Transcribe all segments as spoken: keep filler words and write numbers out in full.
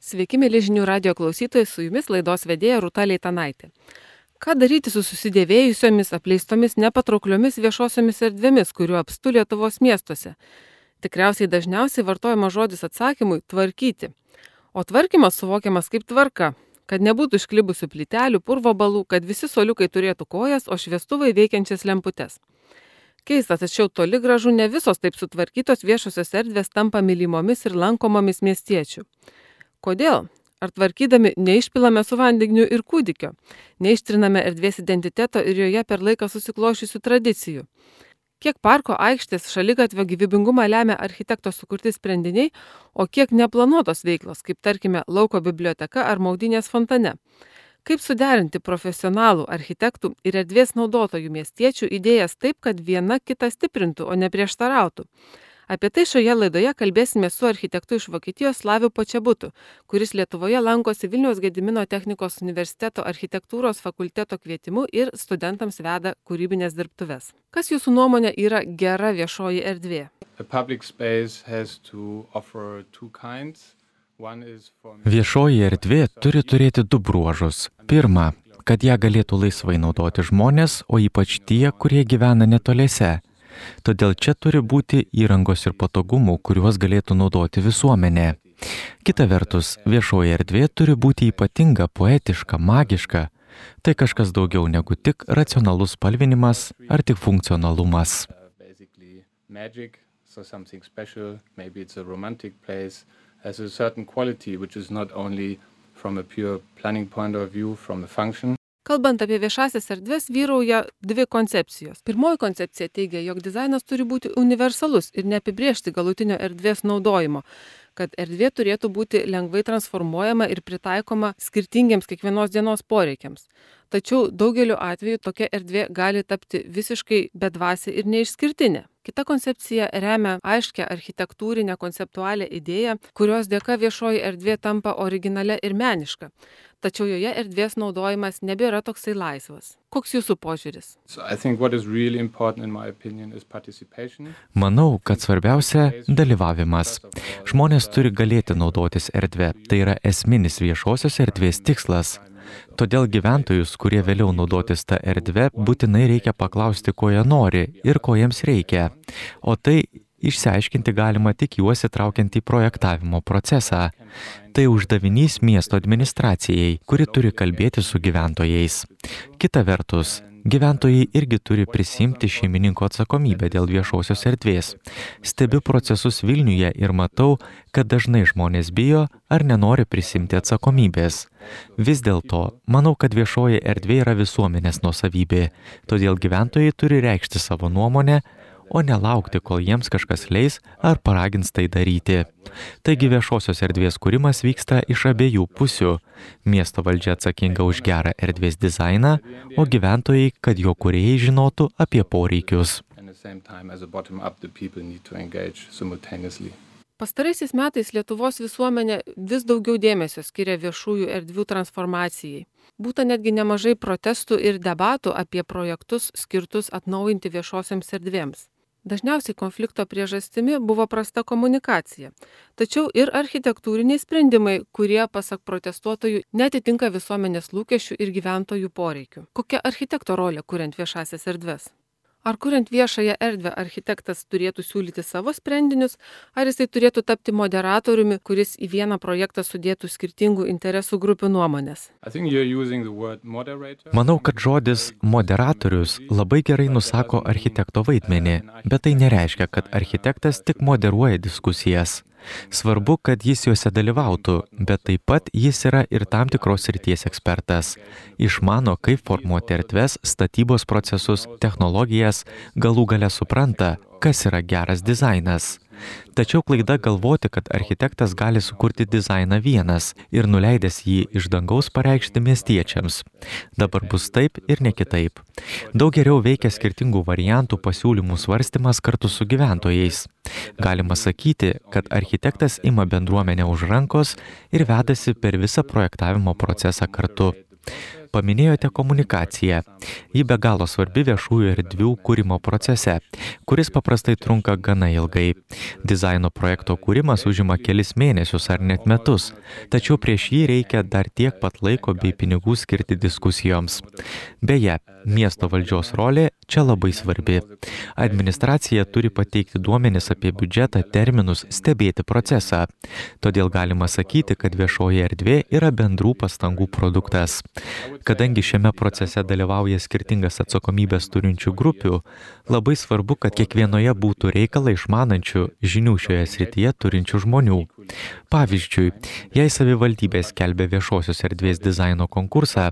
Sveiki, mėly žinių radio klausytojai, su jumis laidos vedėja Rūta Leitanaitė. Ką daryti su susidėvėjusiomis, apleistomis, nepatraukliomis viešosiomis erdvėmis, kuriuo apstu Lietuvos miestuose? Tikriausiai dažniausiai vartojama žodis atsakymui - tvarkyti. O tvarkymas suvokiamas kaip tvarka, kad nebūtų išklibusių plytelių, purvo balų, kad visi suoliukai turėtų kojas, o šviestuvai veikiančias lemputes. Keista, tačiau toli gražu ne visos taip sutvarkytos viešosios erdvės tampa mylimomis ir lankomomis miestiečių. Kodėl? Ar tvarkydami neišpilame su vandeniu ir kūdikio, neištriname erdvės identiteto ir joje per laiką susiklošiusių tradicijų? Kiek parko aikštės šaligatvio gyvybingumą lemia architekto sukurti sprendiniai, o kiek neplanuotos veiklos, kaip tarkime lauko biblioteka ar maudynės fontane? Kaip suderinti profesionalų architektų ir erdvės naudotojų miestiečių idėjas taip, kad viena kitą stiprintų, o ne prieštarautų? Apie tai šioje laidoje kalbėsime su architektu iš Vokietijos Slaviu Počebutu, kuris Lietuvoje lankosi Vilniaus Gedimino technikos universiteto architektūros fakulteto kvietimu ir studentams veda kūrybinės dirbtuves. Kas jūsų nuomonė yra gera viešoji erdvė? Viešoji erdvė turi turėti du bruožus. Pirma, kad ją galėtų laisvai naudoti žmonės, o ypač tie, kurie gyvena netoliese. Todėl čia turi būti įrangos ir patogumų, kuriuos galėtų naudoti visuomenė. Kita vertus, viešoji erdvė turi būti ypatinga, poetiška, magiška. Tai kažkas daugiau negu tik racionalus spalvinimas ar tik funkcionalumas. Kalbant apie viešasias erdves, vyrauja dvi koncepcijos. Pirmoji koncepcija teigia, jog dizainas turi būti universalus ir neapibrėžti galutinio erdvės naudojimo, kad erdvė turėtų būti lengvai transformuojama ir pritaikoma skirtingiems kiekvienos dienos poreikiams. Tačiau daugeliu atveju tokia erdvė gali tapti visiškai bedvasė ir neišskirtinė. Kita koncepcija remia aiškę architektūrinę konceptualią idėją, kurios dėka viešoji erdvė tampa originalia ir meniška. Tačiau joje erdvės naudojimas nebėra toksai laisvas. Koks jūsų požiūris? Manau, kad svarbiausia - dalyvavimas. Žmonės turi galėti naudotis erdvę. Tai yra esminis viešosios erdvės tikslas. Todėl gyventojus, kurie vėliau naudotis tą erdvę, būtinai reikia paklausti, ko jie nori ir ko jiems reikia. O tai išsiaiškinti galima tik juos įtraukiant į projektavimo procesą. Tai uždavinys miesto administracijai, kuri turi kalbėti su gyventojais. Kita vertus, gyventojai irgi turi prisimti šeimininko atsakomybę dėl viešosios erdvės. Stebiu procesus Vilniuje ir matau, kad dažnai žmonės bijo ar nenori prisimti atsakomybės. Vis dėlto, manau, kad viešoji erdvė yra visuomenės nuosavybė, todėl gyventojai turi reikšti savo nuomonę, o nelaukti, kol jiems kažkas leis ar paragins tai daryti. Taigi viešosios erdvės kūrimas vyksta iš abiejų pusių. Miesto valdžia atsakinga už gerą erdvės dizainą, o gyventojai, kad jo kūrėjai žinotų apie poreikius. Pastaraisiais metais Lietuvos visuomenė vis daugiau dėmesio skiria viešųjų erdvių transformacijai. Būta netgi nemažai protestų ir debatų apie projektus skirtus atnaujinti viešosiams erdvėms. Dažniausiai konflikto priežastimi buvo prasta komunikacija, tačiau ir architektūriniai sprendimai, kurie, pasak protestuotojų, netitinka visuomenės lūkesčių ir gyventojų poreikių. Kokia architekto rolė kuriant viešasias erdves? Ar kuriant viešąją erdvę architektas turėtų siūlyti savo sprendinius, ar jisai turėtų tapti moderatoriumi, kuris į vieną projektą sudėtų skirtingų interesų grupių nuomonės? Manau, kad žodis moderatorius labai gerai nusako architekto vaidmenį, bet tai nereiškia, kad architektas tik moderuoja diskusijas. Svarbu, kad jis juose dalyvautų, bet taip pat jis yra ir tam tikros srities ekspertas. Išmano, kaip formuoti erdves, statybos procesus, technologijas, galų gale supranta, kas yra geras dizainas. Tačiau klaida galvoti, kad architektas gali sukurti dizainą vienas ir nuleidęs jį iš dangaus pareikšti miestiečiams. Dabar bus taip ir ne kitaip. Daug geriau veikia skirtingų variantų pasiūlymų svarstymas kartu su gyventojais. Galima sakyti, kad architektas ima bendruomenę už rankos ir vedasi per visą projektavimo procesą kartu. Paminėjote komunikaciją. Ji be galo svarbi viešųjų erdvių kūrimo procese, kuris paprastai trunka gana ilgai. Dizaino projekto kūrimas užima kelis mėnesius ar net metus, tačiau prieš jį reikia dar tiek pat laiko bei pinigų skirti diskusijoms. Beje, miesto valdžios rolė čia labai svarbi. Administracija turi pateikti duomenis apie biudžetą, terminus, stebėti procesą. Todėl galima sakyti, kad viešoji erdvė yra bendrų pastangų produktas. Kadangi šiame procese dalyvauja skirtingas atsakomybės turinčių grupių, labai svarbu, kad kiekvienoje būtų reikalą išmanančių žinių šioje srityje turinčių žmonių. Pavyzdžiui, jei savivaldybė skelbia viešosios erdvės dizaino konkursą,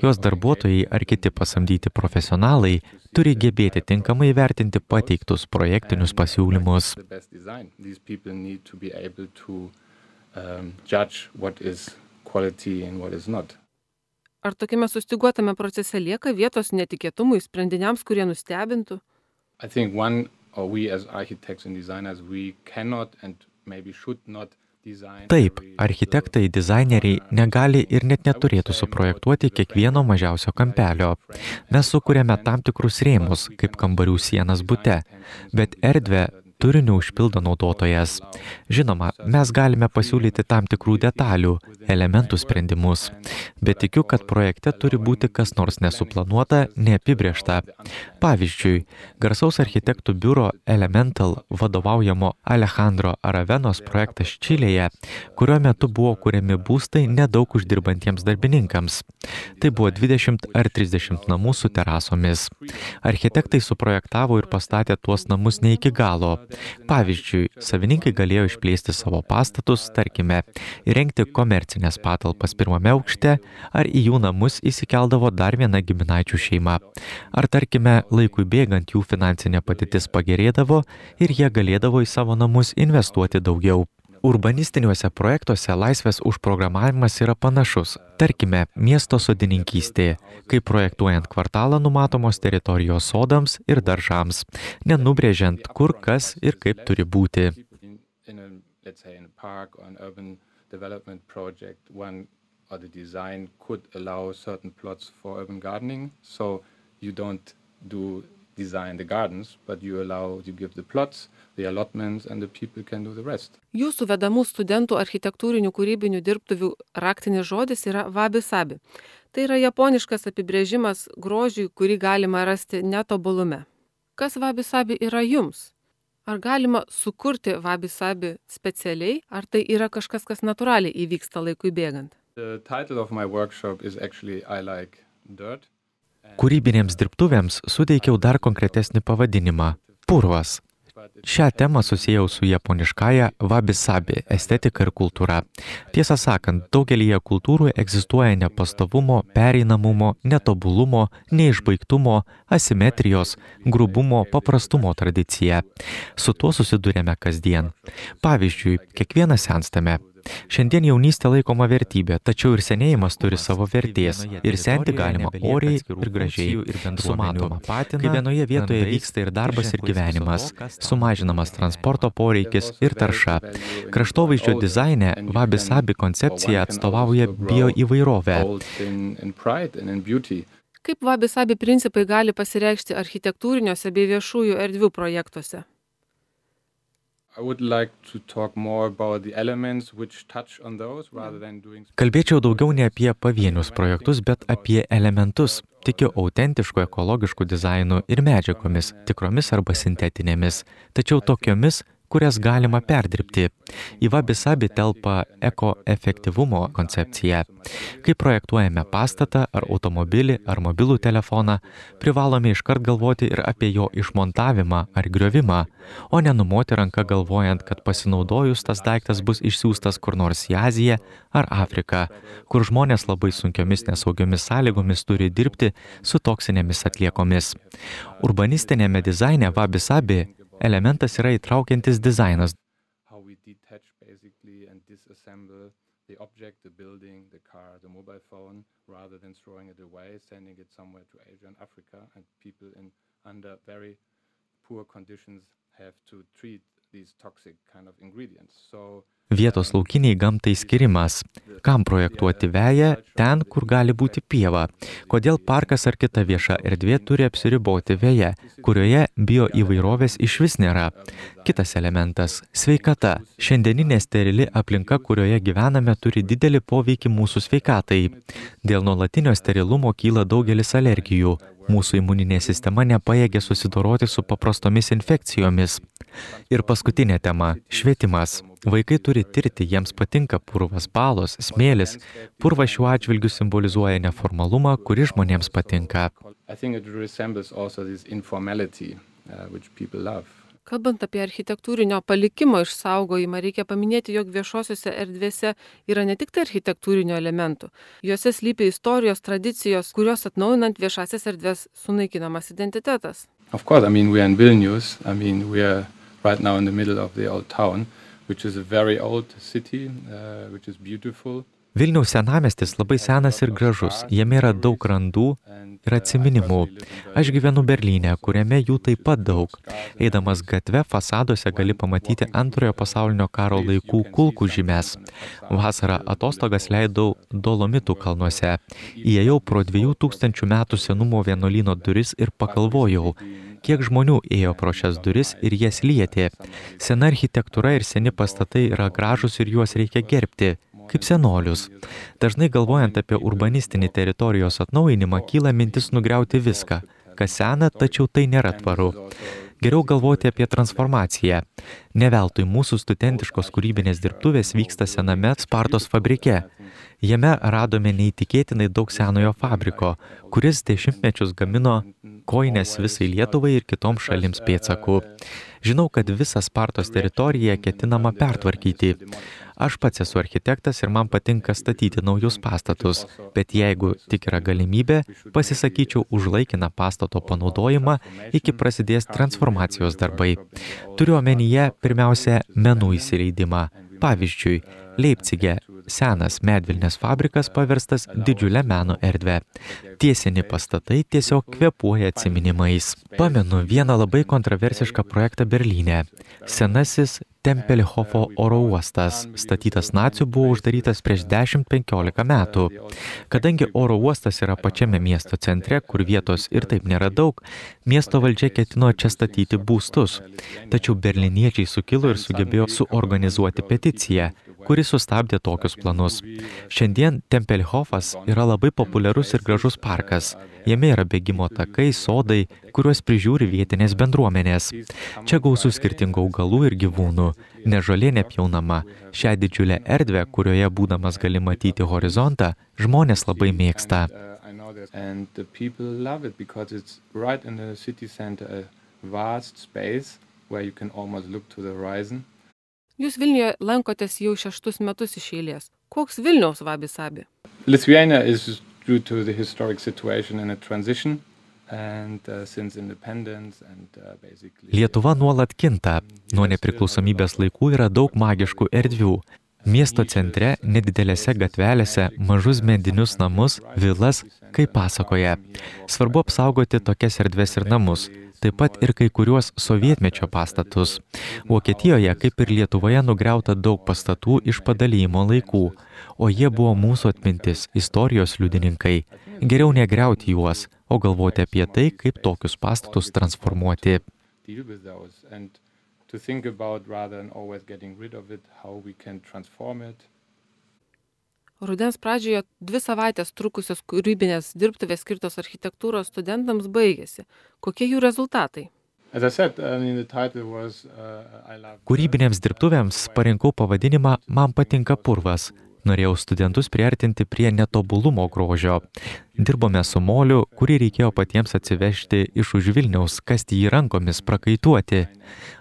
jos darbuotojai ar kiti pasamdyti profesionalai turi gebėti tinkamai vertinti pateiktus projektinius pasiūlymus. Ar tokiame sustyguotame procese lieka vietos netikėtumui, sprendiniams, kurie nustebintų? I think one, or we as architects and designers, we cannot and maybe should not design. Taip, architektai, dizaineriai negali ir net neturėtų suprojektuoti kiekvieno mažiausio kampelio. Mes sukūrėme tam tikrus rėmus, kaip kambarių sienas bute, bet erdvę turiniu užpildo naudotojas. Žinoma, mes galime pasiūlyti tam tikrų detalių, elementų sprendimus, bet tikiu, kad projekte turi būti kas nors nesuplanuota, neapibrėžta. Pavyzdžiui, garsaus architektų biuro Elemental vadovaujamo Alejandro Aravenos projektas Čilėje, kurio metu buvo kuriami būstai nedaug uždirbantiems darbininkams. Tai buvo dvidešimt ar trisdešimt namų su terasomis. Architektai suprojektavo ir pastatė tuos namus ne iki galo. Pavyzdžiui, savininkai galėjo išplėsti savo pastatus, tarkime, įrengti komercinės patalpas pirmame aukšte, ar į jų namus įsikeldavo dar viena giminaičių šeima. Ar, tarkime, laikui bėgant jų finansinė padėtis pagerėdavo ir jie galėdavo į savo namus investuoti daugiau. Urbanistiniuose projektuose laisvės užprogramavimas yra panašus. Tarkime, miesto sodininkystė, kai projektuojant kvartalą numatomos teritorijos sodams ir daržams, nenubrėžiant, kur kas ir kaip turi būti. Design the gardens, but you allow, you give the plots, the allotments, and the people can do the rest. Jūsų vedamų studentų architektūrinių kūrybinių dirbtuvių raktinis žodis yra wabi-sabi. Tai yra japoniškas apibrėžimas grožiui, kurį galima rasti netobulume. Kas wabi-sabi yra jums? Ar galima sukurti wabi-sabi specialiai, ar tai yra kažkas, kas natūraliai įvyksta laikui bėgant? The title of my workshop is actually I Like Dirt. Kūrybinėms dirbtuvėms suteikiau dar konkretesnį pavadinimą – purvas. Šią temą susijau su japoniškąja wabi-sabi estetika ir kultūra. Tiesą sakant, daugelyje kultūrų egzistuoja nepastovumo, pereinamumo, netobulumo, neišbaigtumo, asimetrijos, grubumo, paprastumo tradicija. Su tuo susidurėme kasdien. Pavyzdžiui, kiekvienas senstame. Šiandien jaunystė laikoma vertybė, tačiau ir senėjimas turi savo vertės. Ir senti galima oriai ir gražiai, su matoma patina, kai vienoje vietoje vyksta ir darbas, ir gyvenimas, sumažinamas transporto poreikis ir tarša. Kraštovaizdžio dizaine wabi-sabi koncepcija atstovauja bioįvairovę. Kaip wabi-sabi principai gali pasireikšti architektūriniuose bei viešųjų erdvių projektuose? Kalbėčiau daugiau ne apie pavienius projektus, bet apie elementus. Tikiu autentišku ekologišku dizainu ir medžiagomis, tikromis arba sintetinėmis, tačiau tokiomis, kurias galima perdirbti. Į wabi-sabi telpa ekoefektyvumo koncepcija. Kai projektuojame pastatą ar automobilį ar mobilų telefoną, privalome iškart galvoti ir apie jo išmontavimą ar griovimą, o nenumoti ranką galvojant, kad pasinaudojus tas daiktas bus išsiųstas kur nors į Aziją ar Afriką, kur žmonės labai sunkiomis nesaugiomis sąlygomis turi dirbti su toksinėmis atliekomis. Urbanistinėme dizaine wabi-sabi elementas yra įtraukiantis dizainas. Vietos laukiniai gamtai skirimas. Kam projektuoti veją ten, kur gali būti pieva? Kodėl parkas ar kita vieša erdvė turi apsiriboti veja, kurioje bioįvairovės išvis nėra? Kitas elementas – sveikata. Šiandieninė sterili aplinka, kurioje gyvename, turi didelį poveikį mūsų sveikatai. Dėl nuolatinio sterilumo kyla daugelis alergijų. Mūsų imuninė sistema nepajėgia susidoroti su paprastomis infekcijomis. Ir paskutinė tema – švietimas. Vaikai turi tirti, jiems patinka purvas, balos, smėlis. Purvas šiuo atžvilgiu simbolizuoja neformalumą, kuris žmonėms patinka. Kalbant apie architektūrinio palikimo išsaugojimą, reikia paminėti, jog viešosiose erdvėse yra ne tik tai architektūrinio elementų. Juose slypi istorijos, tradicijos, kurios atnaujinant viešasias erdvės sunaikinamas identitetas. Of course, I mean, we are in Vilnius. I mean, we are right now in the middle of the old town, which is a very old city, uh, which is beautiful. Vilniaus senamiestis labai senas ir gražus, jame yra daug randų ir atsiminimų. Aš gyvenu Berlyne, kuriame jų taip pat daug. Eidamas gatve, fasaduose gali pamatyti antrojo pasaulinio karo laikų kulkų žymes. Vasarą atostogas leidau Dolomitų kalnuose. Įėjau pro dviejų tūkstančių metų senumo vienuolyno duris ir pagalvojau, kiek žmonių ėjo pro šias duris ir jas lietė. Sena architektūra ir seni pastatai yra gražus ir juos reikia gerbti. Kaip senolius. Dažnai galvojant apie urbanistinį teritorijos atnaujinimą, kyla mintis nugriauti viską, kas sena, tačiau tai nėra tvaru. Geriau galvoti apie transformaciją. Ne veltui mūsų studentiškos kūrybinės dirbtuvės vyksta sename Spartos fabrike. Jame radome neįtikėtinai daug senojo fabriko, kuris dešimtmečius gamino kojines visai Lietuvai ir kitoms šalims pėdsakų. Žinau, kad visą Spartos teritoriją ketinama pertvarkyti. Aš pats esu architektas ir man patinka statyti naujus pastatus, bet jeigu tik yra galimybė, pasisakyčiau už laikiną pastato panaudojimą iki prasidės transformacijos darbai. Turiu omenyje pirmiausia menų įsileidimą. Pavyzdžiui, Leipcige senas medvilnės fabrikas paverstas didžiulę meno erdvę. Tie seni pastatai tiesiog kvėpuoja atsiminimais. Pamenu vieną labai kontroversišką projektą Berlyne. Senasis Tempelhofo oro uostas, statytas nacių, buvo uždarytas prieš dešimt penkiolika metų. Kadangi oro uostas yra pačiame miesto centre, kur vietos ir taip nėra daug, miesto valdžia ketino čia statyti būstus. Tačiau berliniečiai sukilo ir sugebėjo suorganizuoti peticiją, kuri sustabdė tokius planus. Šiandien Tempelhofas yra labai populiarus ir gražus parkas. Jame yra bėgimo takai, sodai, kuriuos prižiūri vietinės bendruomenės. Čia gausu skirtingų augalų ir gyvūnų. Ne žolė nepjaunama. Šią didžiulę erdvę, kurioje būdamas gali matyti horizontą, žmonės labai mėgsta. And the people love it because it's right in the city center, a vast space where you can almost look to the horizon. Jūs Vilniuje lankotės jau šeštus metus iš eilės. Koks Vilniaus wabi-sabi? Lithuania is due to the historic situation in a transition and uh, since independence and uh, basically Lietuva nuolat kinta. Nuo nepriklausomybės laikų yra daug magiškų erdvių. Miesto centre, nedidelėse gatvelėse, mažus medinius namus, vilas, kaip pasakoja. Svarbu apsaugoti tokias erdves ir namus, taip pat ir kai kuriuos sovietmečio pastatus. Vokietijoje, kaip ir Lietuvoje, nugriauta daug pastatų iš padalijimo laikų, o jie buvo mūsų atmintis, istorijos liudininkai. Geriau negriauti juos, o galvoti apie tai, kaip tokius pastatus transformuoti. To think about rather than always getting rid of it, how we can transform it. Rudens pradžioje dvi savaitės trukusios kūrybinės dirbtuvės skirtos architektūros studentams baigėsi. Kokie jų rezultatai? As I said, I mean, the title was, uh, I love... Kūrybinėms dirbtuvėms parinkau pavadinimą Man patinka purvas. Norėjau studentus priartinti prie netobulumo grožio. Dirbome su moliu, kurį reikėjo patiems atsivežti iš už Vilniaus, kasti jį rankomis, prakaituoti.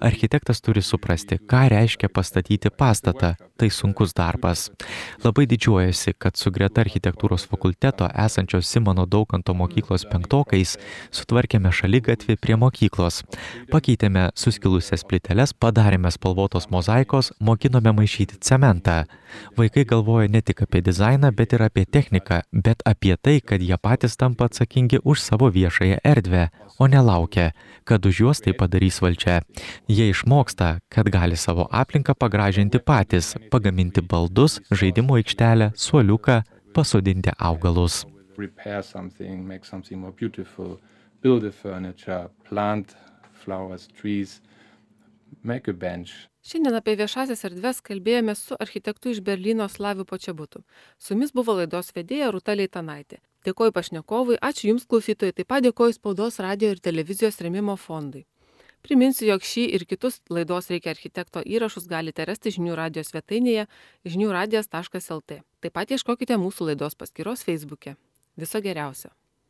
Architektas turi suprasti, ką reiškia pastatyti pastatą. Tai sunkus darbas. Labai didžiuojasi, kad su greta architektūros fakulteto esančios Simono Daukanto mokyklos penktokais sutvarkėme šaligatvį prie mokyklos. Pakeitėme suskilusias plyteles, padarėme spalvotos mozaikos, mokinome maišyti cementą. Vaikai galvoja ne tik apie dizainą, bet ir apie techniką, bet apie tai, kad kad jie patys tampa atsakingi už savo viešąją erdvę, o nelaukia, kad už juos tai padarys valdžia. Jie išmoksta, kad gali savo aplinką pagražinti patys, pagaminti baldus, žaidimo aikštelę, suoliuką, pasodinti augalus. Repair something, make something more beautiful, build a furniture, plant flowers, trees, make a bench. Šiandien apie viešasias erdves kalbėjome su architektu iš Berlyno Slaviu Počebutu. Su jumis buvo laidos vedėja Rūta Leitanaitė. Dėkoju pašnekovui, ačiū Jums klausytojai, taip pat dėkoju Spaudos, radio ir televizijos rėmimo fondui. Priminsiu, jog šį ir kitus laidos Reikia architekto įrašus galite rasti žinių radijo svetainėje žinių radijas taškas el tė. Taip pat ieškokite mūsų laidos paskyros Facebook'e. Viso geriausio.